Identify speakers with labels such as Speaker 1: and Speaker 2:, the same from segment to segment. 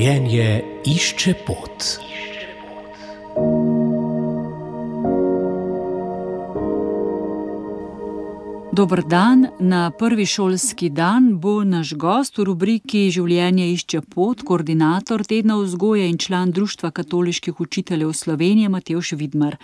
Speaker 1: Življenje išče pot.
Speaker 2: Dober dan. Na prvi šolski dan bo naš gost v rubriki Življenje išče pot, koordinator tedna vzgoje in član Društva katoliških učiteljev Slovenije Matevž Vidmar.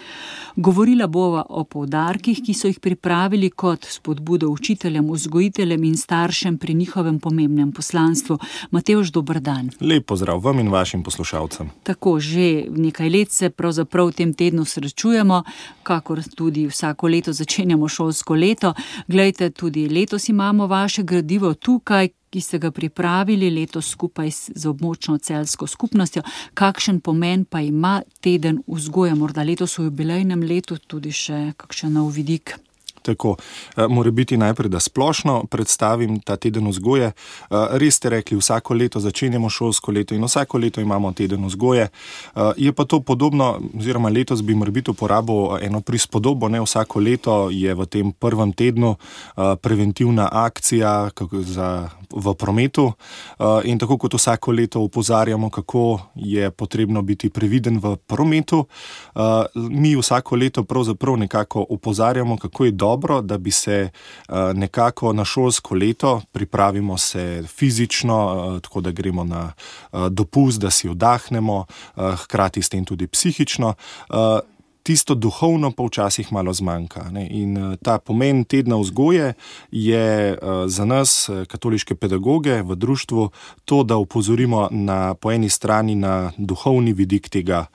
Speaker 2: Govorila bova o poudarkih, ki so jih pripravili kot spodbudo učiteljem, vzgojiteljem in staršem pri njihovem pomembnem poslanstvu. Matevž, dober dan.
Speaker 3: Lep pozdrav vam in vašim poslušalcem.
Speaker 2: Tako, že nekaj let se pravzaprav v tem tednu srečujemo, kakor tudi vsako leto začenjamo šolsko leto. Glejte, tudi letos imamo vaše gradivo tukaj, ki ste ga pripravili letos skupaj z območno celjsko skupnostjo. Kakšen pomen pa ima teden vzgoje? Morda letos v jubilejnem letu tudi še kakšen nov vidik?
Speaker 3: Tako, mora biti najprej, da splošno predstavim ta teden vzgoje. Res ste rekli, vsako leto začenjamo šolsko leto in vsako leto imamo teden vzgoje. Je pa to podobno, oziroma letos bi morebiti uporabil eno prispodobo, ne, vsako leto je v tem prvem tednu preventivna akcija v prometu in tako kot vsako leto opozarjamo, kako je potrebno biti previden v prometu, mi vsako leto pravzaprav nekako opozarjamo, kako je dobro, da bi se nekako na šolsko leto, pripravimo se fizično, tako da gremo na dopust, da si oddahnemo, hkrati s tem tudi psihično. Tisto duhovno pa včasih malo zmanjka, ne? In ta pomen tedna vzgoje je za nas, katoliške pedagoge v društvu, to, da opozorimo po eni strani na duhovni vidik tega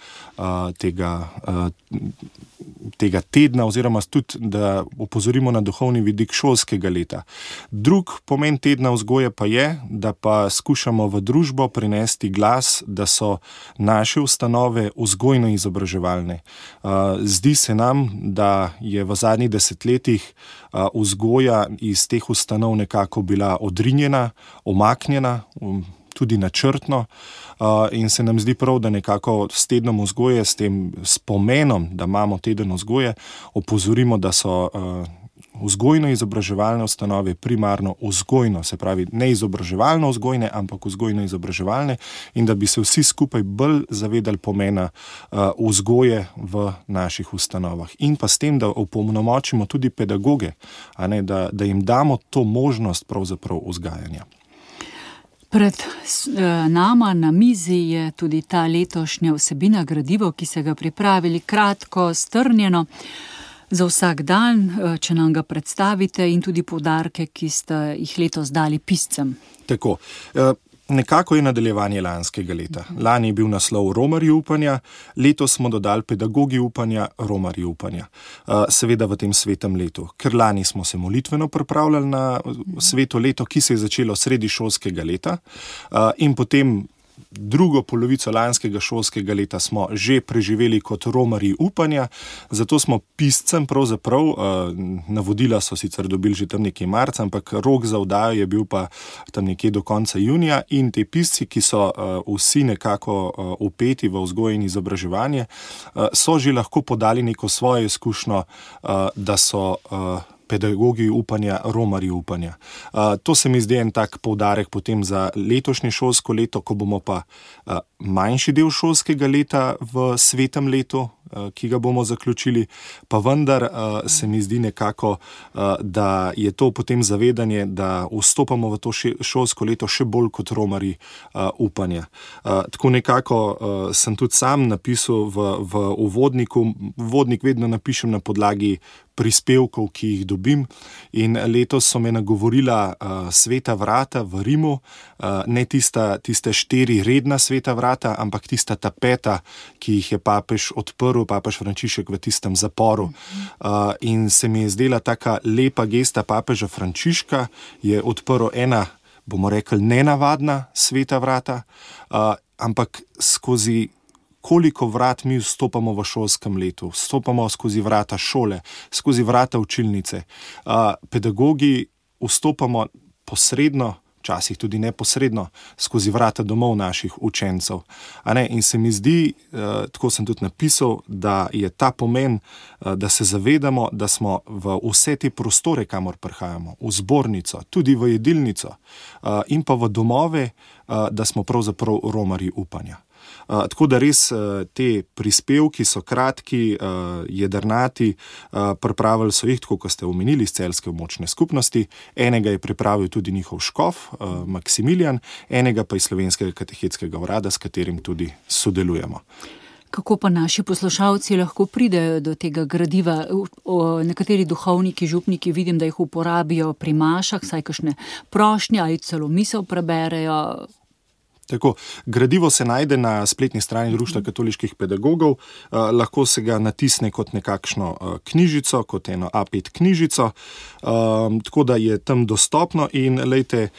Speaker 3: tedna, oziroma tudi, da opozorimo na duhovni vidik šolskega leta. Drug pomen tedna vzgoje pa je, da pa skušamo v družbo prinesti glas, da so naše ustanove vzgojno-izobraževalne. Zdi se nam, da je v zadnjih desetletjih vzgoja iz teh ustanov nekako bila odrinjena, omaknjena, tudi načrtno, in se nam zdi prav, da nekako s tednom vzgoje, s pomenom, da imamo teden vzgoje, opozorimo, da so vzgojno-izobraževalne ustanove primarno vzgojno, se pravi ne izobraževalno vzgojne, ampak vzgojno-izobraževalne, in da bi se vsi skupaj bolj zavedali pomena vzgoje v naših ustanovah. In pa s tem, da opolnomočimo tudi pedagoge, a ne, da jim damo to možnost pravzaprav vzgajanja.
Speaker 2: Pred nama na mizi je tudi ta letošnja vsebina gradivo, ki ste ga pripravili, kratko, strnjeno, za vsak dan, če nam ga predstavite, in tudi poudarke, ki ste jih letos dali piscem. Tako,
Speaker 3: nekako je nadaljevanje lanskega leta. Lani je bil naslov Romarji upanja, letos smo dodali Pedagogi upanja, Romarji upanja. Seveda v tem svetem letu, ker lani smo se molitveno pripravljali na sveto leto, ki se je začelo sredi šolskega leta, in potem drugo polovico lanskega šolskega leta smo že preživeli kot Romarji upanja, zato smo piscem pravzaprav, navodila so sicer dobili že tam nekje marca, ampak rok za oddajo je bil pa tam nekje do konca junija, in te pisci, ki so vsi nekako vpeti v vzgojo in izobraževanje, so že lahko podali neko svojo izkušnjo, da so Pedagogi upanja, Romarji upanja. To se mi zdi en tak poudarek potem za letošnje šolsko leto, ko bomo pa manjši del šolskega leta v svetem letu, ki ga bomo zaključili, pa vendar se mi zdi nekako, da je to potem zavedanje, da vstopamo v to šolsko leto še bolj kot Romarji upanja. Tako nekako sem tudi sam napisal v uvodniku. Uvodnik vedno napišem na podlagi prispevkov, ki jih dobim, in letos so me nagovorila sveta vrata v Rimu, ne tiste 4 redna sveta vrata, ampak tista ta 5, ki jih je papež odprl, papež Frančišek v tistem zaporu. In se mi je zdela taka lepa gesta papeža Frančiška, je odprl ena, bomo rekli, nenavadna sveta vrata, ampak skozi koliko vrat mi vstopamo v šolskem letu. Vstopamo skozi vrata šole, skozi vrata učilnice. Pedagogi vstopamo posredno, včasih tudi neposredno skozi vrata domov naših učencev. In se mi zdi, tako sem tudi napisal, da je ta pomen, da se zavedamo, da smo v vse te prostore, kamor prihajamo, v zbornico, tudi v jedilnico in pa v domove, da smo pravzaprav romarji upanja. Tako da res te prispevki so kratki, jedrnati, pripravili so jih, tako kot ste omenili, iz Celjske območne skupnosti, enega je pripravil tudi njihov škof, Maksimilijan, enega pa iz Slovenskega katehetskega urada, s katerim tudi sodelujemo.
Speaker 2: Kako pa naši poslušalci lahko pridejo do tega gradiva? Nekateri duhovniki, župniki, vidim, da jih uporabijo pri mašah, saj kakšne prošnje ali celo misel preberejo.
Speaker 3: Tako, gradivo se najde na spletni strani Društva katoliških pedagogov, lahko se ga natisne kot nekakšno knjižico, kot eno A5 knjižico, tako da je tam dostopno in lejte,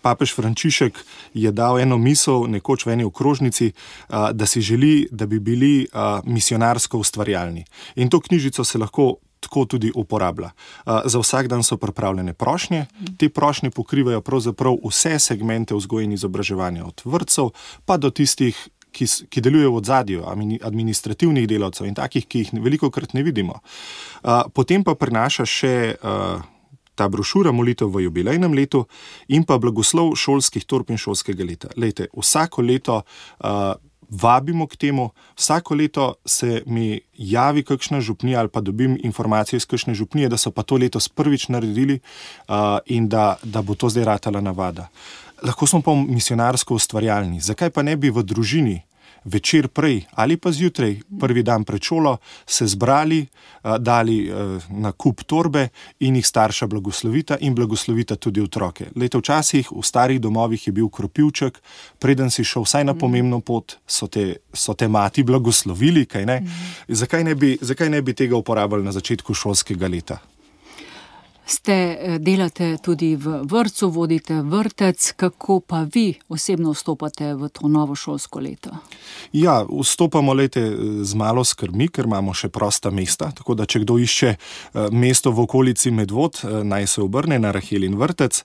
Speaker 3: papež Frančišek je dal eno misel nekoč v eni okrožnici, da si želi, da bi bili misionarsko ustvarjalni. In to knjižico se lahko tako tudi uporablja. Za vsak dan so pripravljene prošnje, te prošnje pokrivajo pravzaprav vse segmente vzgoje in izobraževanja, od vrtcev pa do tistih, ki delujejo v ozadju, administrativnih delavcev in takih, ki jih velikokrat ne vidimo. Potem pa prinaša še ta brošura Molitev v jubilejnem letu in pa blagoslov šolskih torb in šolskega leta. Lejte, vsako leto vabimo k temu, vsako leto se mi javi kakšna župnija ali pa dobim informacijo iz kakšne župnije, da so pa to letos prvič naredili in da bo to zdaj ratala navada. Lahko smo pa misionarsko ustvarjalni. Zakaj pa ne bi v družini večer prej ali pa zjutraj, prvi dan pred šolo, se zbrali, dali na kup torbe in jih starša blagoslovita in blagoslovita tudi otroke. Lejte, včasih v starih domovih je bil kropivček, preden si šel vsaj na pomembno pot, so te mati blagoslovili, kaj ne? Zakaj ne bi tega uporabljali na začetku šolskega leta?
Speaker 2: Delate tudi v vrtcu, vodite vrtec, kako pa vi osebno vstopate v to novo šolsko leto?
Speaker 3: Ja, vstopamo z malo skrbmi, ker imamo še prosta mesta, tako da če kdo išče mesto v okolici Medvod, naj se obrne na Rahelin vrtec.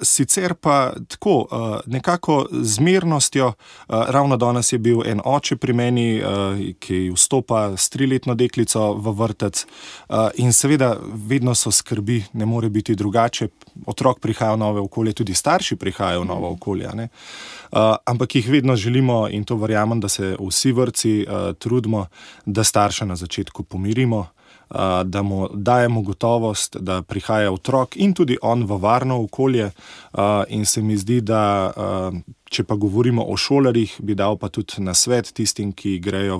Speaker 3: Sicer pa tako, nekako z mirnostjo, ravno danes je bil en oče pri meni, ki vstopa s 3-letno deklico v vrtec in seveda vedno so skrbi, ne more biti drugače. Otrok prihaja v novo okolje, tudi starši prihajajo v novo okolje. Ampak jih vedno želimo in to verjamem, da se vsi vrtci trudimo, da starša na začetku pomirimo, da mu dajemo gotovost, da prihaja otrok in tudi on v varno okolje in se mi zdi, da če pa govorimo o šolarjih, bi dal pa tudi nasvet tistim, ki grejo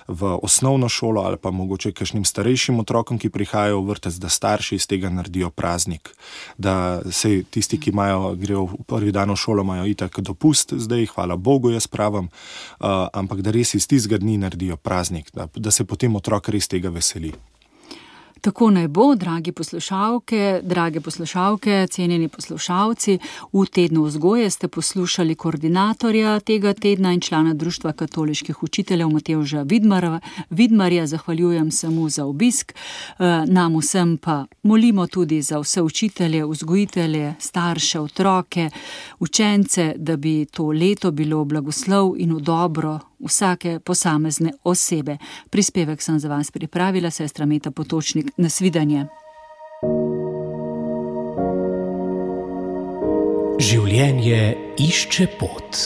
Speaker 3: v osnovno šolo ali pa mogoče kakšnim starejšim otrokom, ki prihajajo v vrtec, da starši iz tega naredijo praznik. Da se tisti, ki grejo v prvi dan v šolo, imajo itak dopust zdaj, hvala Bogu, jaz pravim, ampak da res iz tistega dni naredijo praznik, da se potem otrok res tega veseli.
Speaker 2: Tako naj bo, drage poslušalke, cenjeni poslušalci. V tednu vzgoje ste poslušali koordinatorja tega tedna in člana Društva katoliških učiteljev Matevža Vidmarja. Zahvaljujem se mu za obisk. Nam vsem pa molimo tudi za vse učitelje, vzgojitelje, starše, otroke, učence, da bi to leto bilo blagoslov in v dobro vsake posamezne osebe. Prispevek sem za vas pripravila sestra Meta Potočnik. Nasvidenje.
Speaker 1: Življenje išče pot.